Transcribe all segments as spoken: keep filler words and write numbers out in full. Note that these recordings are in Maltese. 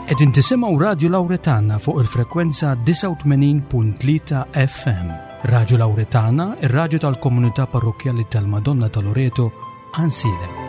Qegħdin tisimgħu Radju Lawretana fuq il-frekwenza disgħa u tmenin punt tlieta F M. Radju Lawretana, ir-radju tal-Komunità Parrokkjali tal-Madonna ta' Loreto, Għajnsielem.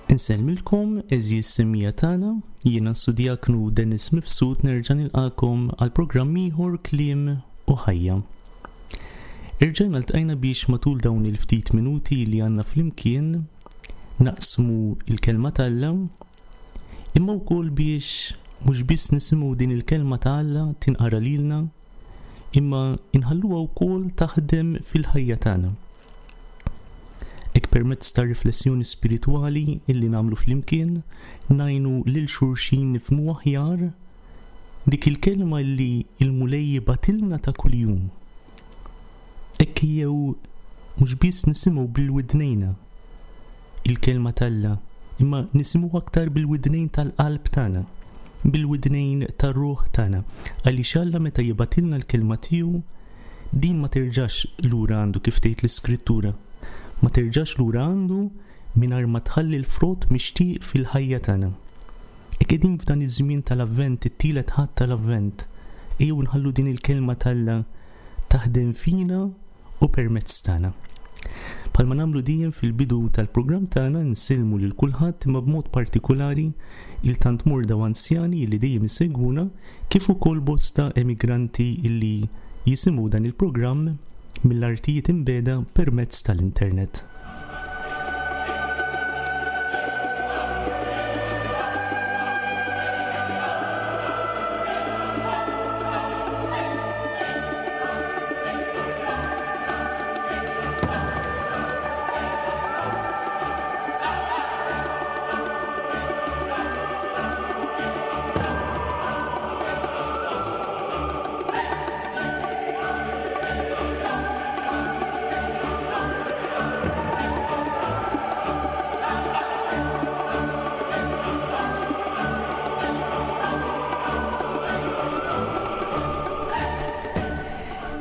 Insellmilkom, għeżież semmiegħa tagħna, jiena s-Suddijaknu Dennis Mifsud, nerġa' nilqagħkom għal programm ieħor, Kliem u Ħajja. Irġajna ltqajna biex matul dawn il-ftit minuti li għandna flimkien naqsmu il-kelma t'Alla, imma wkoll biex mhux biss nisimgħu din il-kelma ta' Alla tinqara lilna, imma inħalluha wkoll taħdem fil-ħajja tagħna. Hekk, permezz ta' riflessjoni spiritwali illi nagħmlu flimkien, ngħinu lil xulxin nifhmu aħjar dik il-kelma li il-Mulej jibgħatilna ta' kuljum. Hekk jew mhux biss nisimgħu bil-widnejna il-kelma t'Alla, imma nisimgħu aktar bil-widnejn tal-qalb tagħna, bil-widnejn tar-ruħ tagħna, għaliex Alla meta jibgħatilna l-kelma tiegħu, din ma terġax lura għandu, kif tgħid l-Iskrittura. Ma terġax lura għandu mingħajr ma tħalli l-frott mixtieq fil-ħajja tagħna. Hekk qegħdin f'dan iż-żmien tal-Avvent, it-tielet Ħadd tal-Avvent, ejjew nħallu din il-kelma t'Alla taħdem fina u permezz tagħna. Bħalma nagħmlu dejjem fil-bidu tal-programm tagħna, nsellmu lil kulħadd, imma b'mod partikolari lil tant morda u anzjani li dejjem isegwuna, kif ukoll bosta emigranti illi jisimgħu dan il-programm mill-artijiet imbiegħda permezz tal-internet.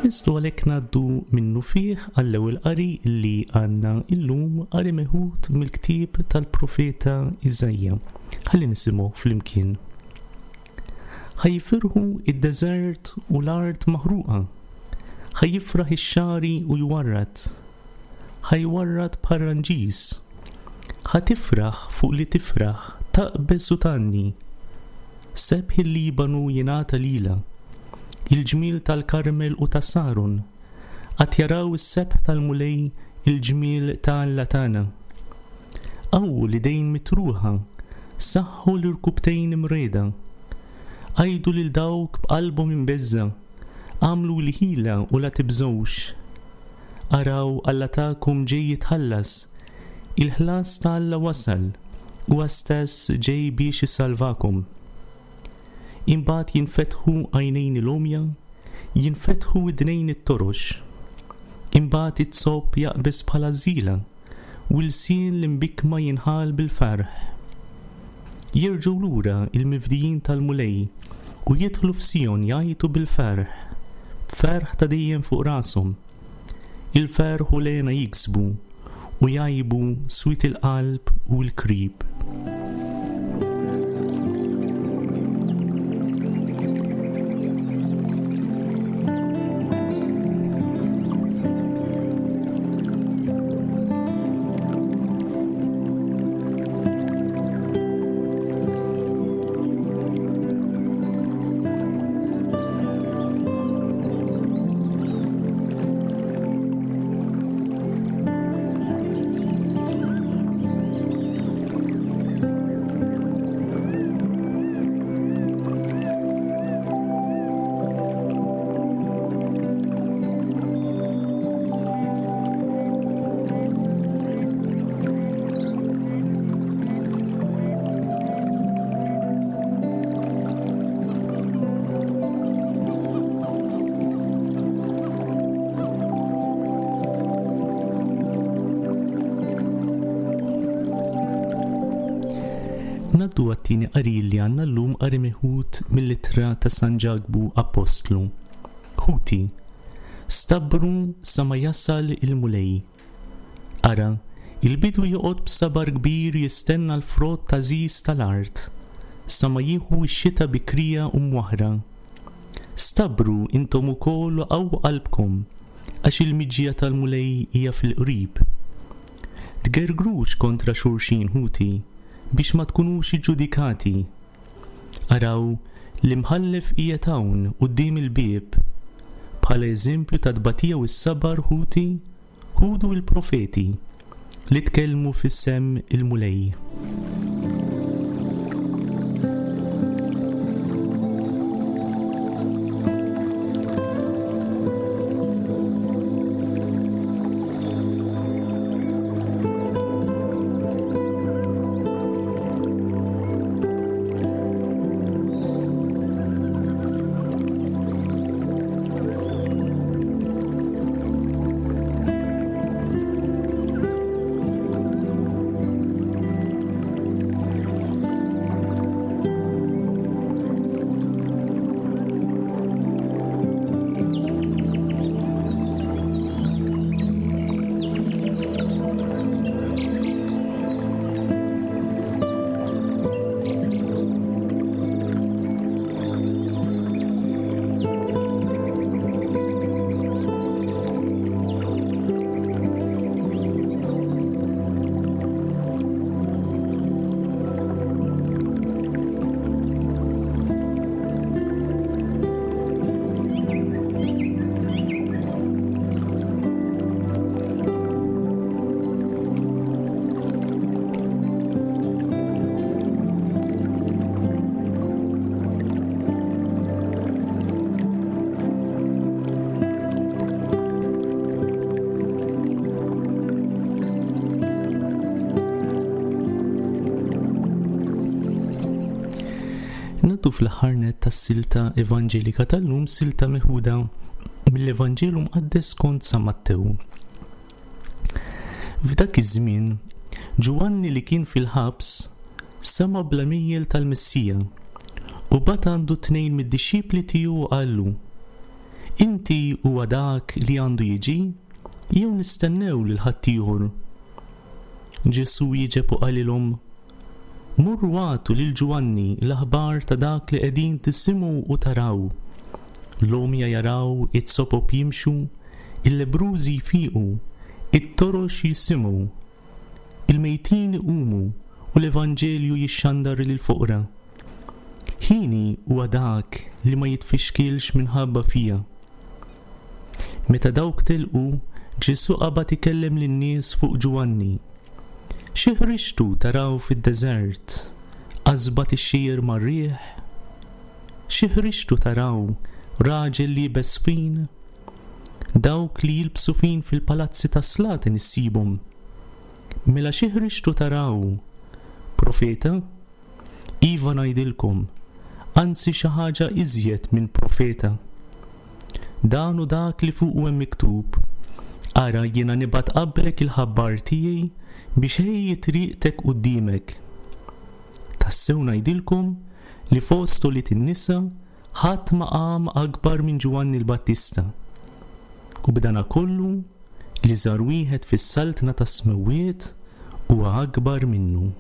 Nistgħu għalhekk ngħaddu minnufih għall-ewwel qari li għandna illum, qari meħud mill-ktieb tal-profeta Iżaija. Ħalli nisimgħu flimkien. Ħa jifirħu id-deżert u l-art maħruqa. Ħa jifraħ ix-xagħri u jwarrad. Ħa jwarrad bħar-ranġis. Ħa tifraħ fuq li tifraħ, taqbeż u tgħanni. Sebħ il-Libanu jingħata lilha, il-ġmiel tal-Karmel u ta' Saron, għad jaraw is-sebħ tal-Mulej, il-ġmiel ta' Alla tagħna. Qawwu l-idejn mitruħa, saħħu l-irkubtejn imriegħda. Għidu lil dawk b'qalbhom imbeżżgħa: agħmlu l-ħila u la tibżgħux. Araw, Alla tagħkom ġej jitħallas, il-ħlas ta' Alla wasal, huwa stess ġej biex isalvakom. Imbagħad jinfetħu għajnejn l-għomja, jinfetħu widnejn it-torox. Imbagħad it-zopp jaqbeż bħala żila, u l-sien l-imbikkma jinħall bil-ferħ. Jerġgħu lura il-mifdijin tal-Mulej u jidħlu f'Sijon jgħajtu bil-ferħ, b'ferħ ta' dejjem fuq rashom. Il-ferħ u l-hena jiksbu u jgħibu swied il-qalb u l-krib. Ngħaddu għat-tieni qari li għandna llum, qari meħud mill-ittra ta' San Ġakbu Apostlu. Ħuti, stabru sa ma jasal il-Mulej. Ara, il-bidwi joqgħod b'sabar kbir jistenna l-frott għażiż tal-art, sa ma jieħu x-xita bikrija u mwaħra. Stabru intom ukoll u qawwu qalbkom, għax il-miġja tal-Mulej hija fil-qrib. Tgergrux kontra xulxin, ħuti, biex ma tkunux iġġudikati. Araw, l-imħallef qiegħed hawn quddiem il-bieb. Bħala eżempju ta' tbatija u s-sabar, ħuti, ħudu l-profeti li tkellmu fis-sem il-Mulej. Ngħaddu fl-aħħar nett tas-silta evanġelika tal-lum, silta meħuda mill-Evanġelu Mqaddes skont San Mattew. F'dak iż-żmien, Ġwanni li kien fil-ħabs sema' bl-għemejjel tal-Messija u bagħat għandu tnejn mid-dixxipli tiegħu u qallu: Inti huwa dak li għandu jiġi, jew nistennew lil ħaddieħor? Ġesù wieġeb u qalilhom: Morru għatu lil Ġwanni l-aħbar ta' dak li qegħdin tisimgħu u taraw. L-għomja jaraw, it-sopop jimxu, il-lebbrużi jfiqu, it-torox jisimgħu, il-mejtin iqumu u l-Evanġelju jixxandar lill-foqra. Ħini huwa dak li ma jitfixkilx minħabba fija. Meta dawk telqu, Ġesù qabad ikellem lin-nies fuq Ġwanni. Xi ħriġtu taraw fid-deżert? Qasba tixxir mar-riħ? Xi ħriġtu taraw? Raġel liebes fin? Dawk li jilbsu fin fil-palazzi tas-slaten issibhom. Mela xi ħriġtu taraw? Profeta? Iva ngħidilkom, anzi xi ħaġa iżjed minn profeta. Dan hu dak li fuqu hemm miktub: Ara jiena nibgħat qablek il-ħabbar tiegħi biex ħejji triqtek quddiemek. Tassew ngħidilkom li fost ulied in-nisa ħadd ma qam akbar minn Ġwanni l-Battista. U b'dana kollu l-iżgħar wieħed fis-saltna tas-smewwiet huwa akbar minnu.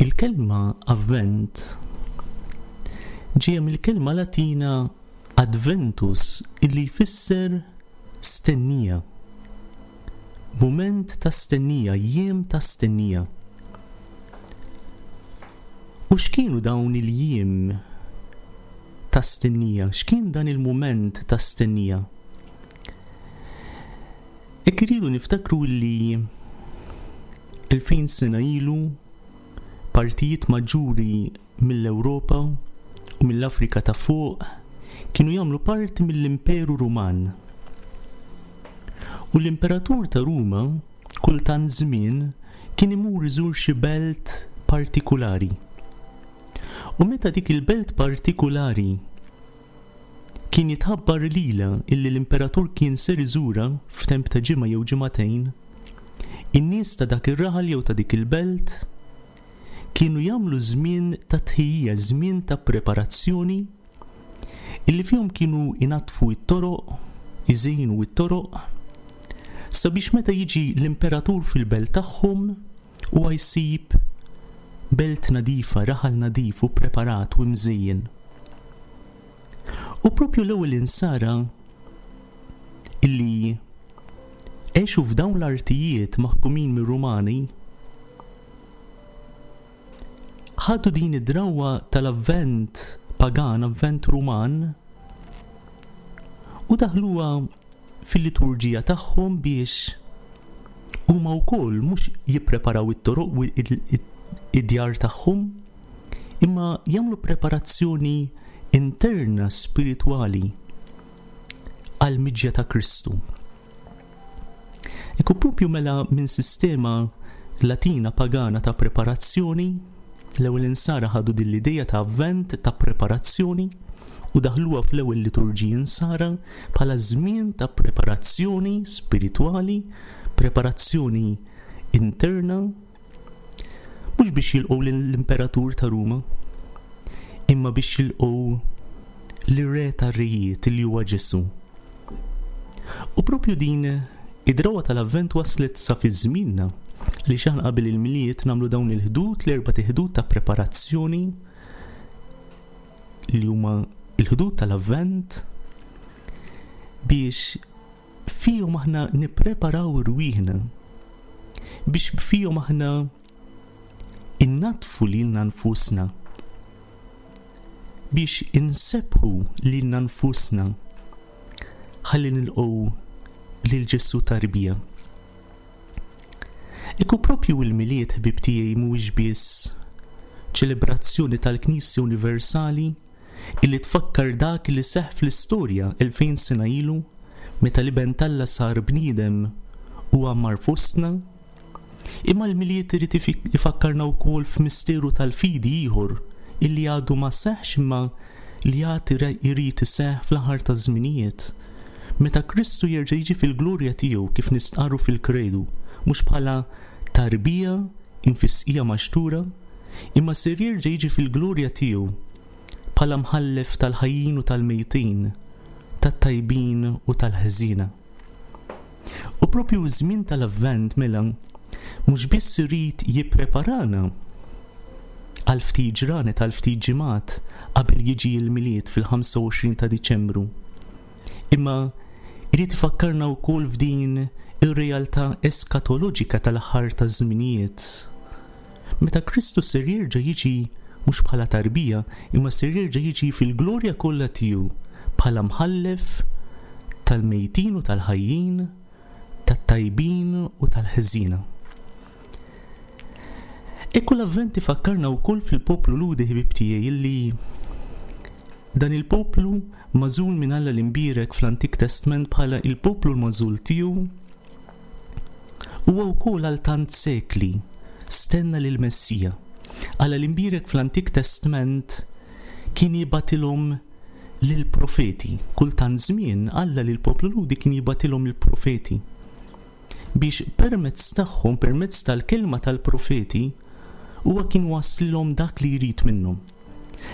Il-kelma avvent ġejja mill-kelma Latina adventus illi jfisser stennija. Mument ta' stennija, jiem ta' stennija. U x'kienu dawn il-jiem ta' stennija? X'kien dan il-mument ta' stennija? Hekk iridu niftakru li elfejn sena ilu partijiet maġġuri mill-Ewropa u mill-Afrika ta' fuq kienu jagħmlu parti mill-Imperu Ruman. U l-Imperatur ta' Ruma kultant żmien kien imur iżur xi belt partikulari. U meta dik il-belt partikulari kien jitħabbar lilha illi l-Imperatur kien ser iżura f'temp ta' ġimgħa jew ġimagħtejn, in-nies ta' dak ir-raħal jew ta' dik il-belt kienu jagħmlu żmien ta' tħejjija, żmien ta' preparazzjoni illi fihom kienu inaddfu t-toroq, iżejnu t-toroq, sabiex meta jiġi l-imperatur fil-belt tagħhom huwa jsib belt nadifa, raħal nadif u preparat u mżejjen. U propju l-ewwel insara illi għexu f'dawn l-artijiet maħkumin mir-Rumani ħadu din id-drawwa tal-avvent pagan, avvent Ruman, u daħluha fil-liturġija tagħhom biex huma wkoll mhux jippreparaw it-toroq u id-djar tagħhom, imma jagħmlu preparazzjoni interna spiritwali għall-miġja ta' Kristu. Ekku propju mela minn sistema Latina pagana ta' preparazzjoni, l-ewwel insara ħadu din l-idea ta' avvent ta' preparazzjoni u daħluha fl-ewwel liturġiji insara bħala żmien ta' preparazzjoni spiritwali, preparazzjoni interna, mhux biex jilqgħu lill-Imperatur ta' Ruma, imma biex jilqgħu lir-Re tar-Rejiet li huwa Ġesù. U propju din id-drawwa tal-avvent waslet sa fi żmienna, li aħna qabel il-Milied nagħmlu dawn il-ħdud, l-erba' ħdud ta' preparazzjoni li huma l-ħdud tal-avvent, biex fihom aħna nippreparaw irwieħna, biex fihom aħna innatfu lilna nfusna, biex insebbħu lilna nfusna ħalli nilqgħu lil Ġesù tarbija. Iku propju il-Milied, ħbib tiegħi, mhuwiex biss ċelebrazzjoni tal-Knisja Universali illi tfakkar dak li seħħ fl-istorja elfejn sena ilu meta l-Iben t'Alla sar bniedem u għammar fostna, imma l-Milied irid ifakkarna wkoll f'misteru tal-fidi ieħor illi għadu ma seħħx imma li għad irid iseħħ fl-aħħar taż-żminijiet, meta Kristu jerġa' jiġi fil-glorja tiegħu kif nistqarru fil-kredu, mhux bħala tarbija infisqija maxtura, imma ser jerġa' jiġi fil-glorja tiegħu bħala mħallef tal-ħajjin u tal-mejtin, tat-tajbin u tal-ħżiena. U propju żmien tal-Avvent mela mhux biss irid jippreparana għal ftit ġranet, għal ftit ġimgħat qabel jiġi l-Milied fil-ħamsa u għoxrin ta' Diċembru. Imma irid ifakkarna wkoll f'din ir-realtà eskatoloġika tal-aħħar ta' żminijiet. Meta Kristu ser jerġa' jiġi mhux bħala tarbija, imma ser jerġa' jiġi fil-glorja kollha tiegħu bħala mħallef tal-mejtin u tal-ħajjin, tat-tajbin u tal-ħżiena. Ekku l-Avvent ifakkarna wkoll fil-poplu Lhudi, ħbieb tiegħi, illi dan il-poplu magħżul minn Alla l-imbierek fl-Antik Testament bħala il-poplu l-magħżul tiegħu huwa wkoll għal tant sekli stenna lil Messija. Alla l-imbierek fl-Antik Testament kien jibgħatilhom lill-profeti. Kull tant żmien Alla lill-poplu Lhudi kien jibgħatilhom il-profeti biex permezz tagħhom, permezz tal-kelma tal-profeti, huwa kien waslilhom dak li jrid minnhom.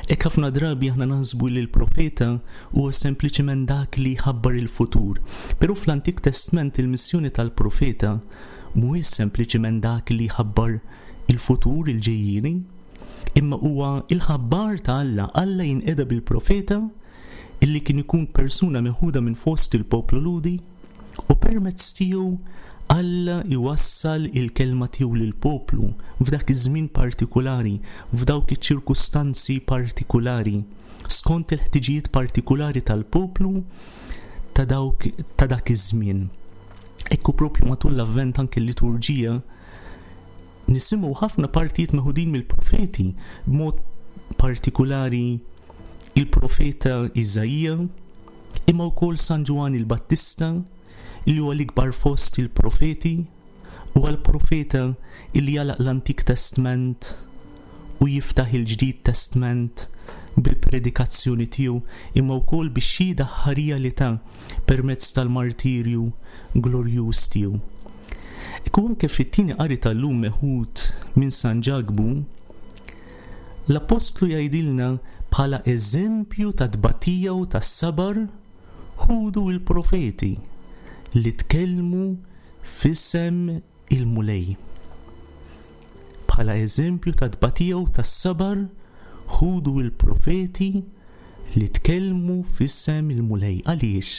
Hekk ħafna drabi aħna naħsbu li l-profeta huwa sempliċement dak li jħabbar il-futur. Però fl-Antik Testament il-missjoni tal-profeta mhuwiex sempliċement dak li jħabbar il-futur, il-ġejjieni, imma huwa il-ħabbar ta' Alla. Alla jinqeda bil-profeta illi kien ikun persuna meħuda minn fost il-poplu Lhudi u permezz tiegħu Alla jwassal il-kelma tiegħu lill-poplu f'dak iż-żmien partikolari, f'dawk iċ-ċirkustanzi partikolari, skont il-ħtiġijiet partikolari tal-poplu ta' dawk ta' dak iż-żmien. Ekku propju matul l-Avvent anke l-liturġija nisimgħu ħafna partijiet meħudin mill-profeti, b'mod partikolari il-profeta Iżaija, imma wkoll San Ġwann il-Battista, li huwa l-ikbar fost il-profeti, u għal-profeta illi jagħlaq l-Antik Testament u jiftaħ il-Ġdid Testament bil-predikazzjoni tiegħu, imma wkoll bix-xhieda ħarija li ta permezz tal-martirju glorjuż tiegħu. Ekku anke fit-tieni qari tal-lum meħud minn San Ġakbu, l-Apostlu jgħidilna bħala eżempju ta' tbatija u ta' sabar ħudu il-profeti li tkellmu f'isem il-Mulej. Bħala eżempju ta' tbatija u ta' sabar ħudu il-profeti li tkellmu f'isem il-Mulej. Għaliex?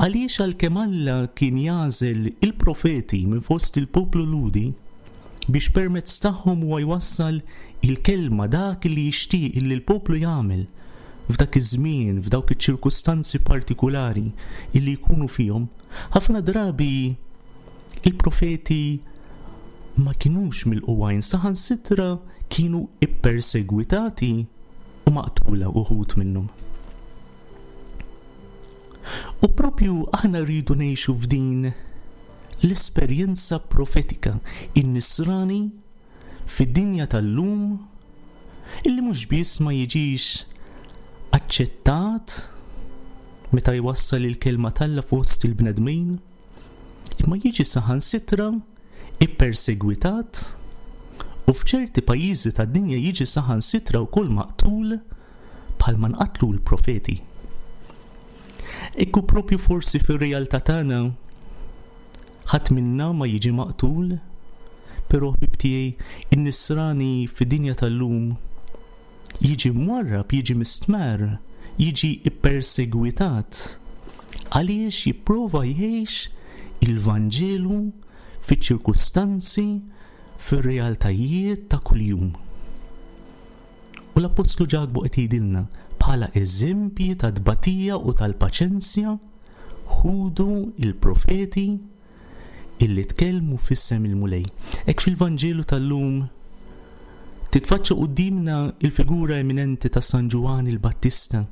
Għaliex għalkemm Alla kien jagħżel il-profeti minn fost il-poplu Lhudi biex permezz tagħhom huwa jwassal il-kelma dak li jixtieq li l-poplu jagħmel f'dak iż-żmien, f'dawk iċ-ċirkustanzi partikolari illi jkunu fihom, ħafna drabi il-profeti ma kinux milqugħin, saħansitra kienu ippersegwitati u maqtula uħud minnhom. U propju aħna rridu ngħixu f'din l-esperjenza profetika, in-nisrani fid-dinja tal-lum illi mhux biss ma jiġix aċċettat meta jwassal il-kelma t'Alla fost il-bnedmin, imma jiġi saħansitra ippersegwitat u f'ċerti pajjiżi tad-dinja jiġi saħansitra wkoll maqtul bħalma nqatlu l-profeti. Ekku propju forsi fir-realtà tagħna ħadd minna ma jiġi maqtul, però ħbib tiegħi in-nisrani fid-dinja tal-lum jiġi mwarrab, jiġi mistmar, jiġi ippersegwitat għaliex jipprova jgħix il-Vanġelu fiċ-ċirkustanzi, fir-realtajiet ta' kuljum. U l-Apostlu Ġakbu qed jgħidilna bħala eżempji ta' tbatija u tal-paċenzja ħudu il-profeti illi tkellmu f'isem il-Mulej. Hekk fil-Vanġelu tal-lum titfaċċa quddiemna il-figura eminenti ta' San Ġwann il-Battista,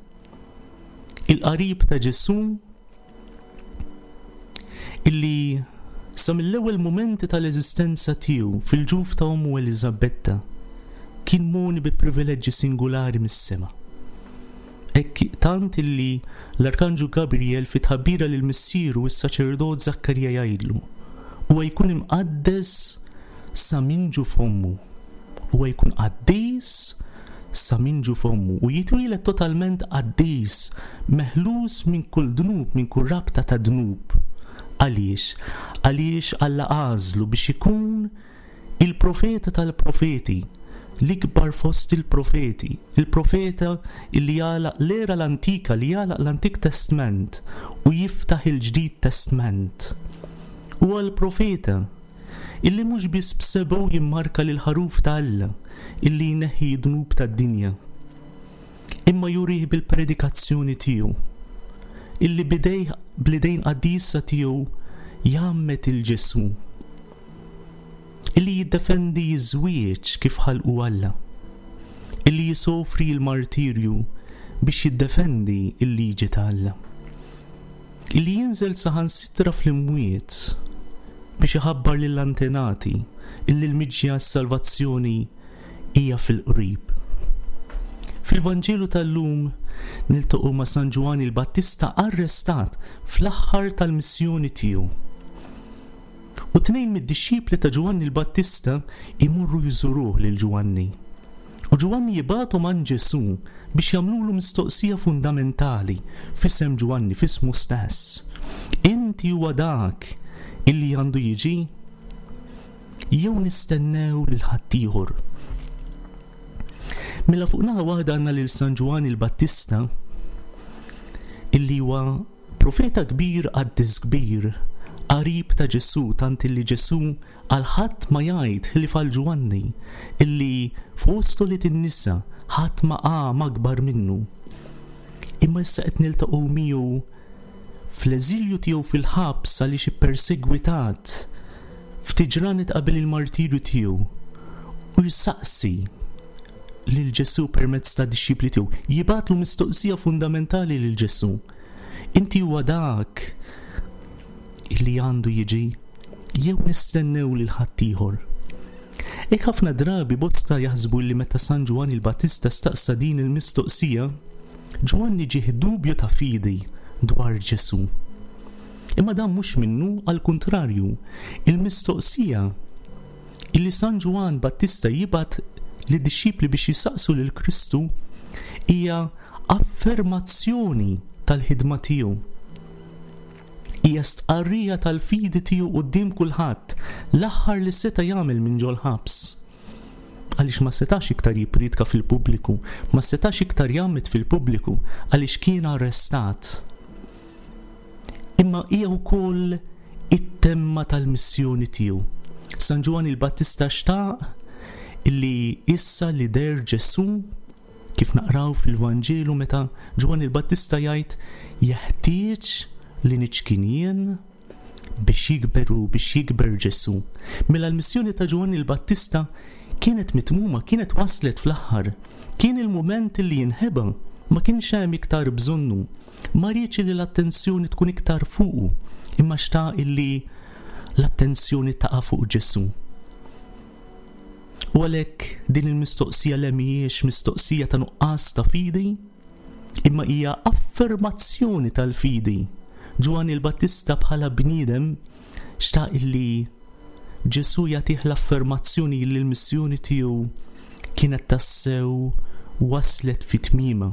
il-qarib ta' Ġesù illi sa mill-ewwel mumenti tal-eżistenza tiegħu fil-ġuf ta' ommu Eliżabetta kien moni bi privileġġi singolari mis-sema. Hekk tant illi l-Arkanġu Gabriel fi tħabbira lil missieru s-saċerdot Zakkarija jgħidlu, huwa jkun imqaddes sa minn ġuf ommu, huwa jkun qaddis sa minn ġuf ommu u jitwieled totalment qaddis, meħlus minn kull dnub, minn kull rabta ta' dnub. Għaliex? Għaliex Alla għażlu biex ikun il-profeta tal-profeti, l-ikbar fost il-profeti, il-profeta illi jagħlaq l-era l-antika, li jagħlaq l-Antik Testament u jiftaħ il-Ġdid Testament. Huwa l-profeta illi mhux biss b'sebgħu jimmarka lil ħaruf ta' Alla illi jneħħi d-dnub tad-dinja, imma jurih bil-predikazzjoni tiegħu, illi bidejh bl-idejn qaddisa tiegħu jgħammed lil Ġesù, illi jiddefendi ż-żwieġ kif ħalqu Alla, illi jisofri l-martirju biex jiddefendi l-liġi ta' Alla, illi jinżel saħansitra fl-imwiet biex iħabbar lill-antenati illi l-miġja s-salvazzjoni hija fil-qrib. Fil-Vanġelu tal-lum niltaqgħu ma' San Ġwanni il-Battista arrestat fl-aħħar tal-missjoni tiegħu. U tnejn mid-dixxipli ta' Ġwanni l-Battista imorru jżuruh lil Ġwanni. U Ġwanni jibgħathom għand Ġesù biex jagħmlulu mistoqsija fundamentali f'isem Ġwanni, f'ismu stess. Inti huwa dak illi għandu jiġi, jew nistennew lil ħaddieħor? Mela fuq naħa waħda għandna lil San Ġwanni il-Battista illi huwa profeta kbir, qaddis kbir, qarib ta' Ġesù, tant illi Ġesù għal ħadd ma jgħid ħlief għal Ġwanni illi fost ulied in-nisa ħadd ma qam akbar minnu. Imma issa qed niltaqgħu miegħu fl-eżilju tiegħu fil-ħabs għaliex ippersegwitat ftit ġranet qabel il-martirju tiegħu, u jsaqsi lil Ġesù permezz ta' dixxipli tiegħu, jibgħatlu mistoqsija fundamentali lil Ġesù. Inti huwa dak illi għandu jiġi, jew nistennew lil ħaddieħor? Hekk ħafna drabi bosta jaħsbu li meta San Ġwanni il-Battista staqsa din il-mistoqsija, Ġwanni ġieħ dubju ta' fidi dwar Ġesù. Imma dan mhux minnu, għal kuntrarju, il-mistoqsija illi San Ġwann Battista jibgħat lid-dixxipli biex jisaqsu lil Kristu hija affermazzjoni tal-ħidma tiegħu. Hija stqarrija tal-fidi tiegħu quddiem kulħadd, l-aħħar li seta' jagħmel minn ġol-ħabs. Għaliex ma setax iktar jippriedka fil-pubbliku, ma setax iktar jgħammed fil-pubbliku għaliex kien arrestat. Imma hija wkoll it-temma tal-missjoni tiegħu. San Ġwanni il-Battista xtaq illi issa li deher Ġesù, kif naqraw fil-Vanġelu meta Ġwanni il-Battista jgħid jeħtieġ li niċkien jien biex jikberu, biex jikber Ġesù. Mela l-missjoni ta' Ġwanni il-Battista kienet mitmuma, kienet waslet fl-aħħar. Kien il-mument li jinħeba, ma kienx hemm iktar bżonnu. Ma riedx li l-attenzjoni tkun iktar fuqu, imma xtaq illi l-attenzjoni taqa' fuq Ġesù. U għalhekk din il-mistoqsija le mhijiex mistoqsija ta' nuqqas ta' fidi, imma hija affermazzjoni tal-fidi. Ġwanni l-Battista bħala bniedem xtaq illi Ġesù jagħtih l-affermazzjoni li l-missjoni tiegħu kienet tassew waslet fi tmiemha.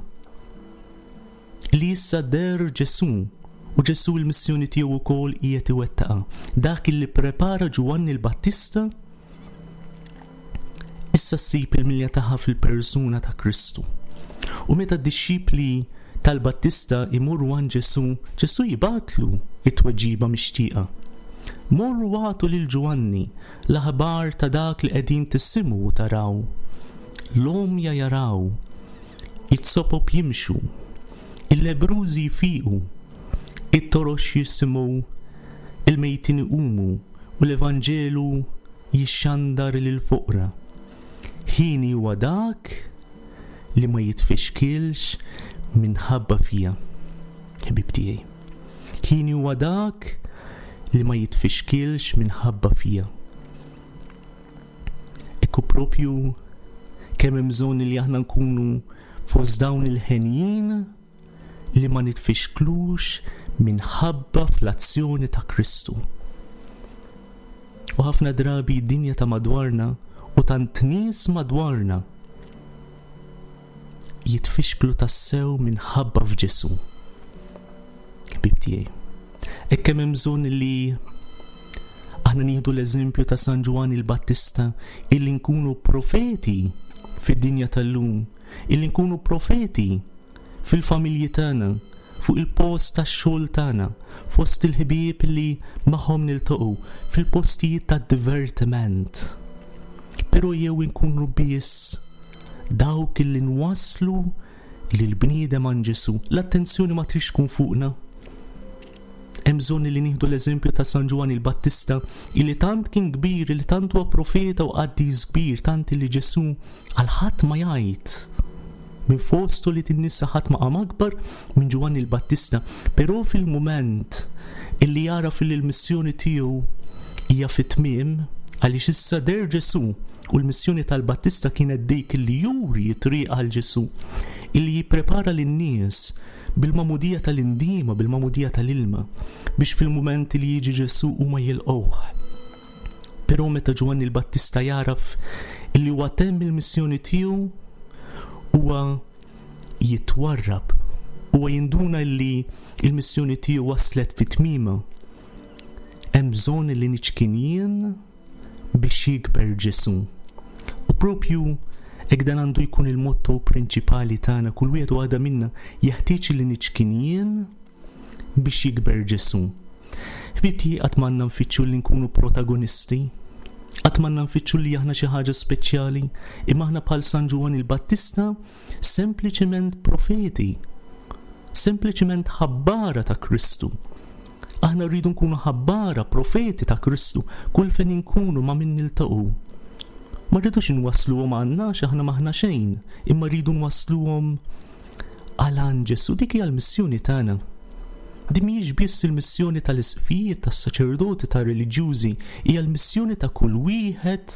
Li issa deher Ġesù, u Ġesù l-missjoni tiegħu wkoll qiegħed iwettaqha. Dak li prepara Ġwanni l-Battista issa ssib il-milja tagħha fil-persuna ta' Kristu. U meta d-dixxipli tal-Battista imorru għand Ġesù, Ġesù jibgħatlu it-tweġiba mixtieqa. Morru agħtu lil Ġwanni l-aħbar ta' dak li qegħdin tisimgħu u taraw. L-għomja jaraw, it-sopop jimxu, il-lebbrużi jfiqu, it-torox jisimgħu, il-mejtin iqumu u l-Evanġelu jixxandar lill-foqra. Ħini huwa dak li ma jitfixkilx minħabba fija, ħbib tiegħi. Ħini huwa dak li ma jitfixkilx minħabba fija. Ekku propju kemm hemm bżonn li aħna nkunu fost dawn il-ħenjin li ma nitfixklux minħabba fl-azzjoni ta' Kristu. U ħafna drabi d-dinja ta' madwarna u tant nies madwarna Jitfixklu tassew minħabba f'Ġesù. Ħbieb tiegħi, hekk kemm hemm bżonn li aħna nieħdu l-eżempju ta' San Ġwann il-Battista, illi nkunu profeti fid-dinja tal-lum, illi nkunu profeti fil-familji tagħna, fuq il-post tax-xogħol tagħna, fost il-ħbieb li magħhom niltaqgħu, fil-postijiet tad-divertiment. Però jew inkunu biss dawk illi nwasslu lill-bniedem għand Ġesù. L-attenzjoni ma tridx tkun fuqna. Hemm bżonn li nieħdu l-eżempju ta' San Ġwann il-Battista, illi tant kien kbir, illi tant huwa profeta u qaddis kbir, tant li Ġesù għal ħadd ma jgħid. Minn fost ulied in-nisa ħadd ma qam akbar minn Ġwann il-Battista, però fil-mument illi jara fil l-missjoni tiegħu hija fit-tmiem, għaliex issa deher Ġesù, u l-missjoni tal-Battista kienet dik illi juri t-triq għal Ġesù, illi jipprepara lin-nies bil-magħmudija tal-indiema, bil-magħmudija tal-ilma, biex fil-mument li jiġi Ġesù huma jilqgħuh. Però meta Ġwanni l-Battista jaraf illi huwa temm il-missjoni tiegħu, huwa jitwarrab, huwa jinduna illi il-missjoni tiegħu waslet fi tmiema. Hemm bżonn li niċkien jien biex jikber Ġesù. U propju hekk dan għandu jkun il-motto prinċipali tagħna, kull wieħed u waħda minna jeħtieġ li niċkien jien biex jikber Ġesù. Ħbieb, qatt m'għandna nfittxu li nkunu protagonisti, qatt m'għandna nfittxu li aħna xi ħaġa speċjali, imma aħna bħal San Ġwann il-Battista sempliċement profeti, sempliċement ħabbara ta' Kristu. Aħna rridu nkunu ħabbara, profeti ta' Kristu, kull fejn inkunu ma' min niltaqgħu. Ma rridux inwassluhom għandna għax aħna m'aħna xejn, imma rridu nwassluhom għal għand Ġesù. Dik hija l-missjoni tagħna. Din mhijiex biss il-missjoni tal-isqfijiet, tas-saċerdoti, tar-reliġjużi, hija l-missjoni ta' kull wieħed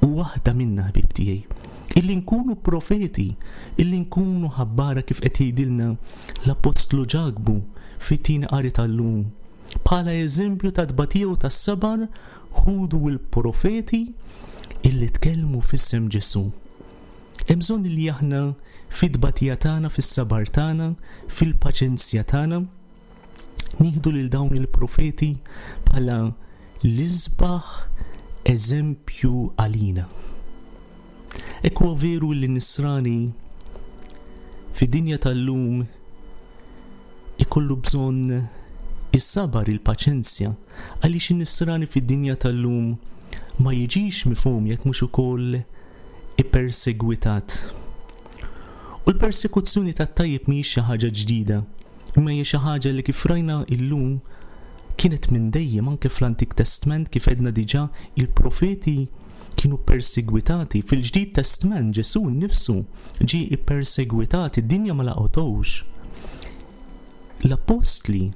u waħda minna, ħbieb tiegħi. Illi nkunu profeti, illi nkunu ħabbara kif qed jgħidilna l-Apostlu Ġakbu fit-tieni qari tal-lum. Bħala eżempju ta' tbatija u tas-sabar, ħudu l-profeti illi tkellmu f'isem Ġesù. Hemm bżonn li aħna fit-tbatija tagħna, fis-sabar tagħna, fil-paċenzja tagħna, nieħdu lil dawn il-profeti bħala l-isbaħ eżempju għalina. Hekk huwa veru li nisrani fid-dinja tal-lum ikollu bżonn is-sabar, il-paċenzja, għaliex in-nisrani fid-dinja tal-lum ma jiġix mifhum jekk mhux ukoll ippersegwitat. U l-persekuzzjoni tat-tajjeb mhijiex xi ħaġa ġdida, imma hija xi ħaġa li kif rajna illum kienet minn dejjem, anke fl-Antik Testament kif għedna diġà il-profeti kienu persegwitati. Fil-Ġdid Testament Ġesù nnifsu ġie ippersegwitat, id-dinja ma laqgħotux. L-apostli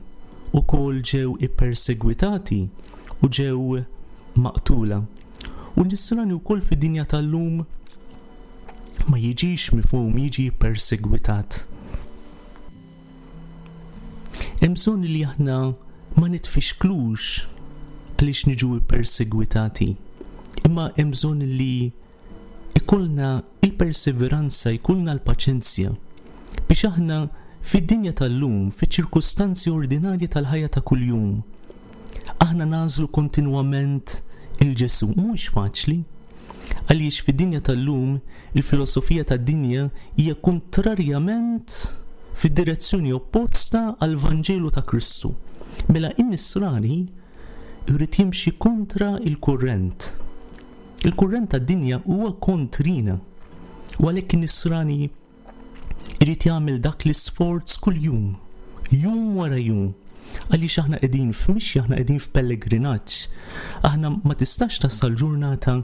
wkoll ġew ippersegwitati u ġew maqtula. U n-nisrani wkoll fid-dinja tal-lum ma jiġix mifhum, jiġi persegwitat. Hemm bżonn li aħna ma nitfixklux għaliex niġu persegwitati, imma hemm bżonn li ikollna il-perseveranza, ikollna l-paċenzja biex aħna fid-dinja tal-lum, fiċ-ċirkustanzi ordinarji tal-ħajja ta' kuljum, aħna nagħżlu kontinwament il-Ġesù. Mhux faċli, għaliex fid-dinja tal-lum il-filosofija tad-dinja hija kontrarjament fid-direzzjoni opposta għall-Vanġelu ta' Kristu. Mela in-nisrani jrid jimxi kontra il-kurrent. Il-kurrent tad-dinja huwa kontrina. U għalhekk in-nisrani jrid jagħmel dak l-isforz kuljum, jum wara jum. Għaliex aħna qegħdin f'mixja, aħna qegħdin f'pellegrinaġġ. Aħna ma tistax tasal ġurnata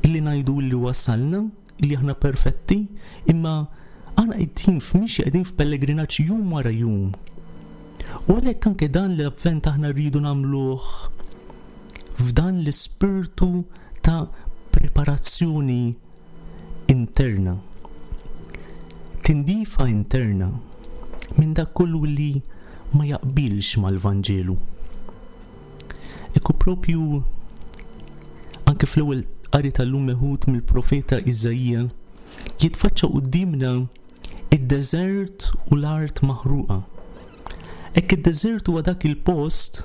illi ngħidu li wasalna, illi aħna perfetti, imma aħna qegħdin f'mixja, qegħdin f'pellegrinaġġ jum wara jum. U għalhekk anke dan l-avvent aħna rridu nagħmluh f'dan l-ispirtu ta' preparazzjoni interna, tindifa interna minn dak kollu li ma jaqbilx mal-Vanġelu. Ekku propju anke fl-ewwel qari tal-lum meħud mill-profeta Iżaija jitfaċċa quddiemna Id-deżert u l-art maħruqa. Hekk id-deżert huwa dak il-post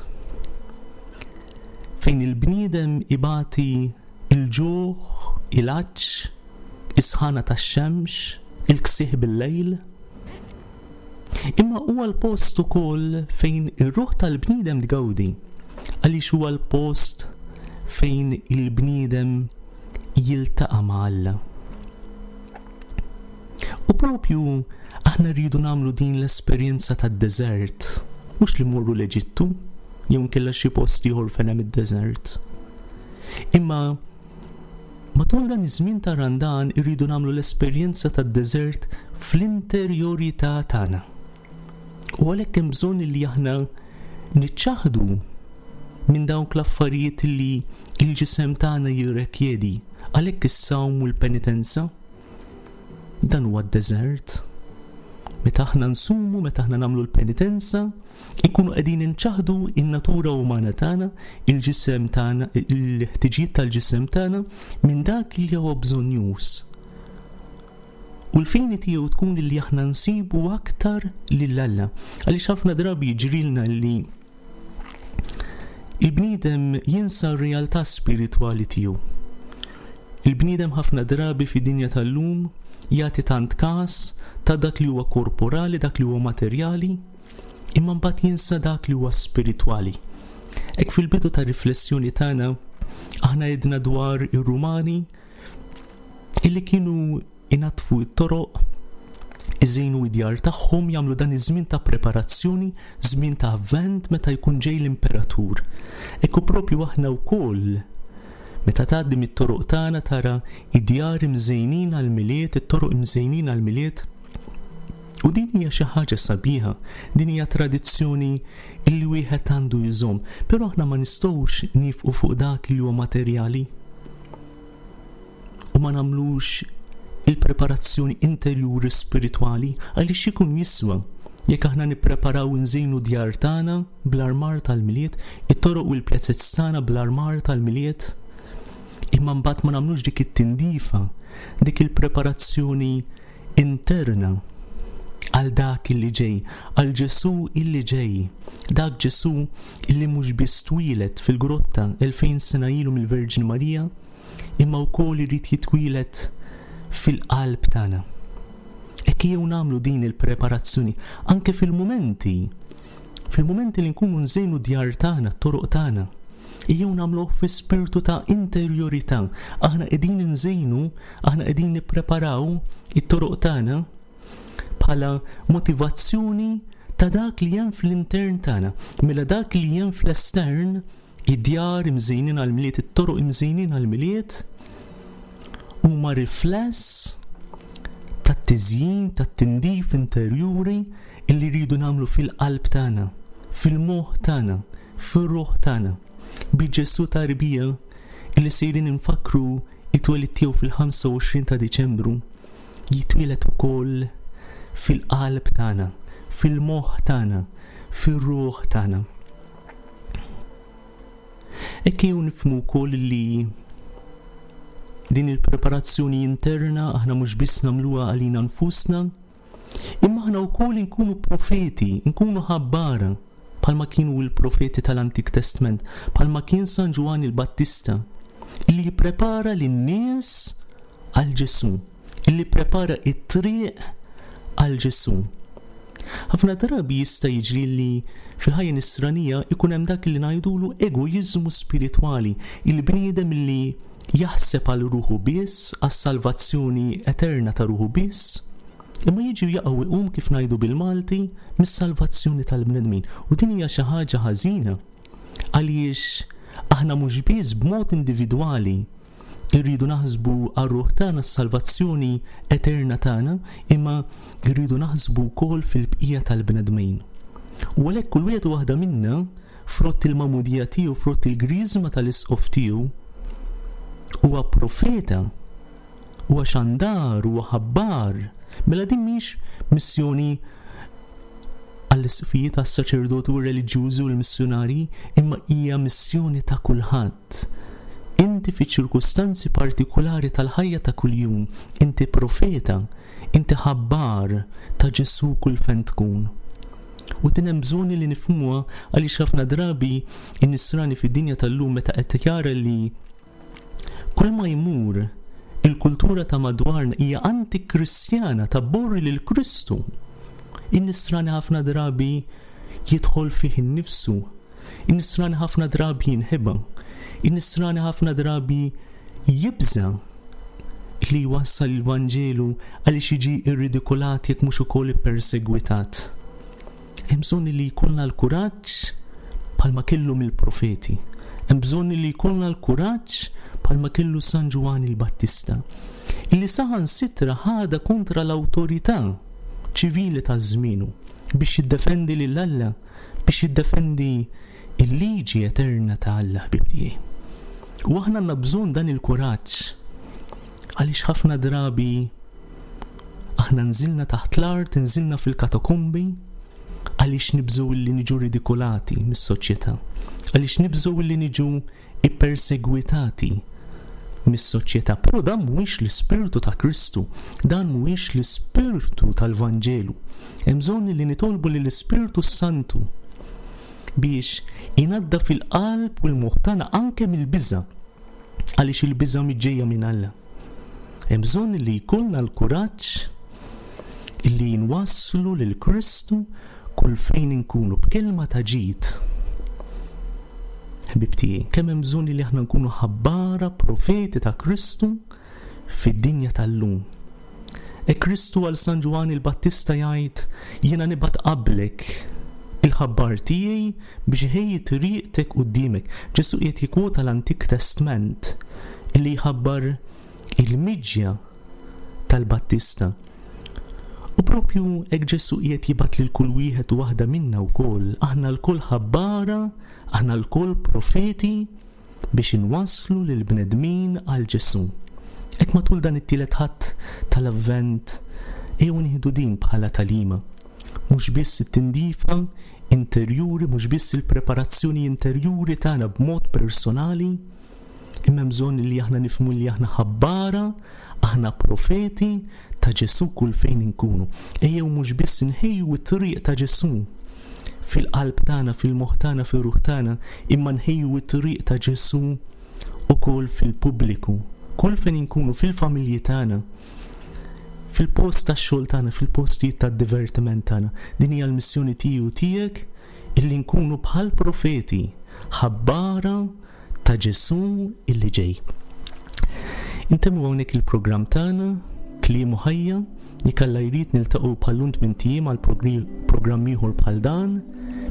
fejn il-bniedem ibati il-ġuħ, il-għatx, is-sħana tax-xemx, il-ksieħ bil-lejl. Imma huwa l-post ukoll fejn ir-ruħ tal-bniedem tgawdi, għaliex huwa l-post fejn il-bniedem jiltaqa' ma' Alla. U propju aħna rridu nagħmlu din l-esperjenza tad-deżert, mhux li mmorru l-Eġittu, jew inkella xi post ieħor fejn hemm id-deżert. Imma matul dan iż-żmien ta' Randan irridu nagħmlu l-esperjenza tad-deżert fl-interjorità tagħna. U għalhekk hemm bżonn li aħna niċċaħdu minn dawk l-affarijiet li l-ġisem tagħna jirrekjedi, għalhekk is-sawm u l-penitenza. Dan huwa d-deżert. Meta aħna nsumu, meta aħna nagħmlu l-penitenza, ikunu qegħdin inċaħdu in-natura umana tagħna, il-ġisem tagħna, il-ħtiġijiet tal-ġisem tagħna minn dak li huwa bżonnjuż. U l-fini tiegħu tkun li aħna nsibu aktar lil Alla. Għaliex ħafna drabi jiġrilna li il-bniedem jinsa r-realtà spiritwali tiegħu. Il-bniedem ħafna drabi fid-dinja tal-lum jagħti tant każ ta' dak li huwa korporali, dak li huwa materjali, imma mbagħad jinsa dak li huwa spiritwali. Hekk fil-bidu ta' riflessjoni tagħna aħna għedna dwar ir-Rumani illi kienu inaddfu t-toroq, iżejnu id-djar tagħhom, jagħmlu dan iż-żmien ta' preparazzjoni, żmien ta' avvent meta jkun ġej l-imperatur. Hekk propju aħna wkoll meta tgħaddi mit-toroq tagħna tara id-djar imżejnin għall-Milied, it-toroq imżejnin għall-Milied. U din hija xi ħaġa sabiħa, din hija tradizzjoni illi wieħed għandu jżomm, però aħna ma nistgħux nifqu fuq dak li huwa materjali u ma nagħmlux il-preparazzjoni interjuri spiritwali, għaliex ikun jiswa jekk aħna nippreparaw nżejnu djar tagħna bl-armar tal-Milied, it-toroq u l-pjazzez tagħna bl-armar tal-Milied, imma mbagħad ma nagħmlux dik it-tindifa, dik il-preparazzjoni interna għal dak illi ġej, għal Ġesù illi ġej, dak Ġesù illi mhux biss twieled fil-grotta elfejn sena ilu mill-Verġni Marija, imma wkoll irid jitwieled fil-qalb tagħna. Hekk jew nagħmlu din il-preparazzjoni anke fil-mumenti, fil-mumenti li nkunu nżejnu djar tagħna, t-toroq tagħna, jew nagħmluh fi spirtu ta' interjorità. Aħna qegħdin nżejnu, aħna qegħdin nippreparaw it-toroq tagħna bħala motivazzjoni ta' dak li hemm fl-intern tagħna. Mela dak li hemm fl-estern, id-djar imżejnin għall-Milied, it-toroq imżejnin għall-Milied, huma rifless tat-tiżjin, tat-tindif interjuri illi rridu nagħmlu fil-qalb tagħna, fil-moħħ tagħna, fir-ruħ tagħna. Bi Ġesù tarbija illi sejrin infakru it-twelid tiegħu fil-ħamsa u għoxrin ta' Diċembru, jitwieled ukoll fil-qalb tagħna, fil-moħħ tagħna, fir-ruħ tagħna. Hekk jew nifhmu wkoll li din il-preparazzjoni interna aħna mhux biss nagħmluha għalina nfusna, imma aħna wkoll inkunu profeti, nkunu ħabbara, bħalma kienu l-profeti tal-Antik Testament, bħalma kien San Ġwann il-Battista, illi jipprepara lin-nies għal Ġesù, illi prepara it-triq għal Ġesù. Ħafna drabi jista' jiġri li fil-ħajja nisranija ikun hemm dak li ngħidulu egoiżmu spiritwali, il-bniedem li jaħseb għal ruħu biss, għas-salvazzjoni eterna ta' ruħu biss, imma jiġi jaqgħu iqum kif ngħidu bil-Malti mis-salvazzjoni tal-bnedmin. U din hija xi ħaġa ħażina, għaliex aħna mhux biss b'mod individwali irridu naħsbu għar-ruħ tagħna s-salvazzjoni eterna tagħna, imma irridu naħsbu wkoll fil-bqija tal-bnedmin. U għalhekk kull wieħed u waħda minna, frott il-magħmudija tiegħu, frott il-griżma tal-isqof tiegħu, huwa profeta, huwa xandar, huwa ħabbar. Mela din mhix missjoni għall-isqfijiet, għas-saċerdoti u r-reliġjużi u l-missjunarji, imma hija missjoni ta' kulħadd. Inti fi ċirkustanzi partikolari tal-ħajja ta' kuljum, inti profeta, Inti ħabbar ta' Ġesù kull fejn tkun. U din hemm bżonn li nifhmuha għaliex ħafna drabi in-nisrani fid-dinja tal-lum meta qed jara li kull ma jmur il-kultura ta' madwarna hija antikristjana tabborri lil Kristu. In-nisrani ħafna drabi jidħol fih innifsu. In-nisrani ħafna drabi jinħeba. In-nisrani ħafna drabi jibża li jwassal il-Vanġelu għaliex jiġi irridikolat jekk mhux ukoll ippersegwitat. Hemm bżonn li jkollna l-kuraġġ bħalma kellhom il-profeti. Hemm bżonn li jkollna l-kuraġġ bħalma kellu San Ġwann il-Battista. Illi saħansitra ħadha kontra l-awtorità ċivili ta' żmienu biex jiddefendi lil Alla, biex jiddefendi il-liġi eterna ta' Alla ħbib tiegħi. U aħna għandna bżonn dan il-kuraġġ għaliex ħafna drabi aħna nżilna taħt l-art, nżilna fil-katakombi, għaliex nibżgħu li niġu ridikolati mis-soċjetà, għaliex nibżgħu li niġu ippersegwitati mis-soċjetà. Però dan mhuwiex l-ispirtu ta' Kristu, dan mhuwiex l-ispirtu tal-Vanġelu. Hemm bżonn li nitolbu lill-Ispirtu Santu biex inaddaf il-qalb u l-moħħ tagħna anke mill-biża' għaliex il-biża' mhix ġejja minn Alla. Hemm bżonn li jkollna l-kuraġġ illi nwasslu lil Kristu kull fejn inkunu b'kelma ta' ġid. Ħbib tiegħi, kemm hemm bżonn li aħna nkunu ħabbara profeti ta' Kristu fid-dinja tal-lum. E Kristu għal San Ġwann il-Battista jgħid jiena nibgħat qablek il-ħabbar tiegħi biex iħejji triqtek quddiemek. Ġesù qiegħed jikkwota l-Antik Testament illi jħabbar il-miġja tal-Battista. U propju hekk Ġesù qiegħed jibgħat lil kull wieħed u waħda minna wkoll, aħna lkoll ħabbara, aħna lkoll profeti biex inwasslu lil bnedmin għal Ġesù. Hekk matul dan it-tielet Ħadd tal-Avvent ejjew nieħdu din bħala tagħlima. Mhux biss it-tindifa interjuri, mhux biss il-preparazzjoni interjuri tagħna b'mod personali, imma hemm bżonn li aħna nifhmu li aħna ħabbara, aħna profeti ta' Ġesù kull fejn inkunu. Ejjew mhux biss nħejju t-triq ta' Ġesù fil-qalb tagħna, fil-moħħ tagħna, fir-ruħ tagħna, imma nħejju t-triq ta' Ġesù ukoll fil-pubbliku, kull fejn inkunu fil-familji tagħna, fil-post tax-xogħol tagħna, fil-postijiet tad-divertiment tagħna. Din hija l-missjoni tiegħi u tiegħek illi nkunu bħal profeti ħabbara ta' Ġesù illi ġej. Intemmu hawnhekk il-programm tagħna Kliem u Ħajja, jekk Alla jrid niltaqgħu bħal-lum tmint ijiem għal programm ieħor bħal dan.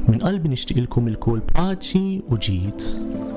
Minn qalbi nixtieqilkom ilkoll paċi u ġid.